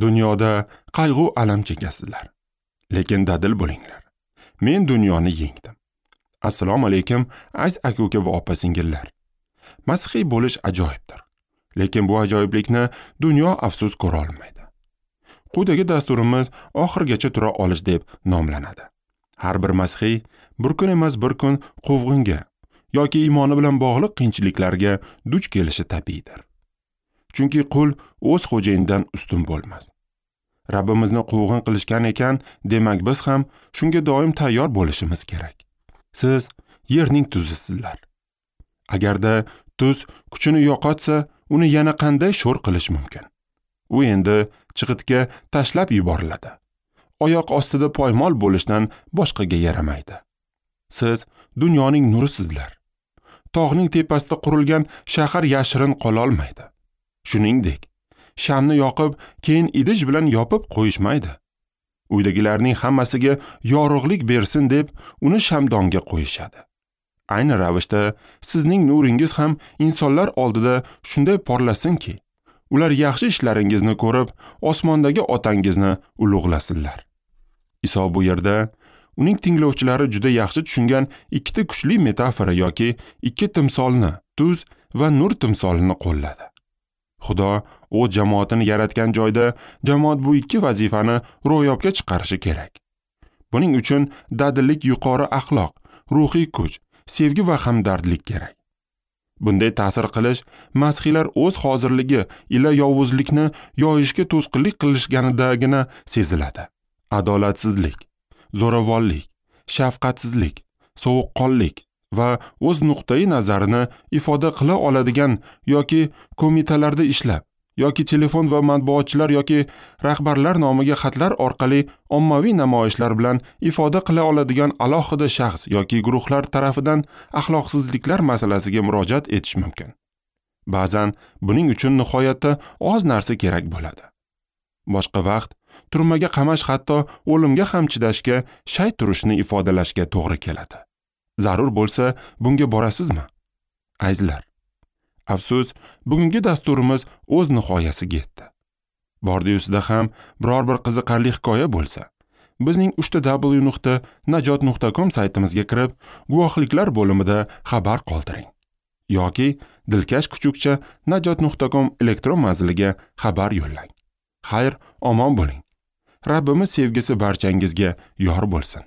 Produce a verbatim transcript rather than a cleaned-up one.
Dunyoda qayg'u alam chekasizlar, lekin dadil bo'linglar. Men dunyoni yengdim. Assalomu alaykum, aziz aka-uka va opa-singillar. Masihiy bo'lish ajoyibdir. Lekin bu ajoyiblikni dunyo afsus ko'ra olmaydi. Quyidagi dasturimiz oxirigacha tura olish deb nomlanadi. Har bir masihiy bir kun emas bir kun quvg'inga yoki iymoni bilan bog'liq qiyinchiliklarga duch kelishi tabiiydir. Chunki qul o'z xo'jayinidan ustun bo'lmas. Rabbimizni quvg'in qilishgan ekan, demak biz ham shunga doim tayyor bo'lishimiz kerak. Siz yerning tuzisizlar. Agarda tuz kuchini yo'qotsa, uni yana qanday sho'r qilish mumkin? U endi chig'itga tashlab yuboriladi. Oyoq ostida poymol bo'lishdan boshqaga yaramaydi. Siz dunyoning nurisizlar. Tog'ning tepasida qurilgan shahar yashirin qola olmaydi. Shuningdek, shamni yoqib, keyin idish bilan yopib qo'yishmaydi. Uydagilarning hammasiga yorug'lik bersin deb uni shamdonga qo'yishadi. Ayni ravishda sizning nuringiz ham insonlar oldida shunday porlasinki, ular yaxshi ishlaringizni ko'rib, osmondagi otangizni ulug'lasinlar. Iso bu yerda uning tinglovchilari juda yaxshi tushungan ikkita kuchli metafora yoki ikki timsolni, tuz va nur timsolini qo'lladi. Xudo o'z jamoatini yaratgan joyda jamoat bu ikki vazifani ro'yobga chiqarishi kerak. Buning uchun dadillik, yuqori axloq, ruhiy kuch, sevgi va hamdardlik kerak. Bunday ta'sir qilish masihiylar o'z hozirligi ila yovuzlikni yoyishga to'sqinlik qilishganidagina seziladi. Adolatsizlik, zo'ravonlik, shafqatsizlik, sovuqqonlik va o'z nuqtai nazarini ifoda qila oladigan yoki komitalarda ishlab, yoki telefon va matbuotchilar yoki rahbarlar nomiga xatlar orqali ommaviy namoyishlar bilan ifoda qila oladigan alohida shaxs yoki guruhlar tarafidan axloqsizliklar masalasiga murojaat etish mumkin. Ba'zan buning uchun nihoyatda oz narsa kerak bo'ladi. Boshqa vaqt turmaga qamash, hatto o'limga ham chidashga shay turishni ifodalashga to'g'ri keladi. Zarur bo'lsa, bunga borasizmi? Azizlar, afsus, bugungi dasturimiz o'z nihoyasiga yetdi. Bordi-yusida ham biror bir qiziqarli hikoya bo'lsa, bizning uch ta w nuqta najot nuqta com saytimizga kirib, guvohliklar bo'limida xabar qoldiring yoki dilkash kuchukcha najot nuqta com elektron manziliga xabar yo'llang. Xayr, omon bo'ling. Rabbimiz sevgisi barchangizga yor bo'lsin.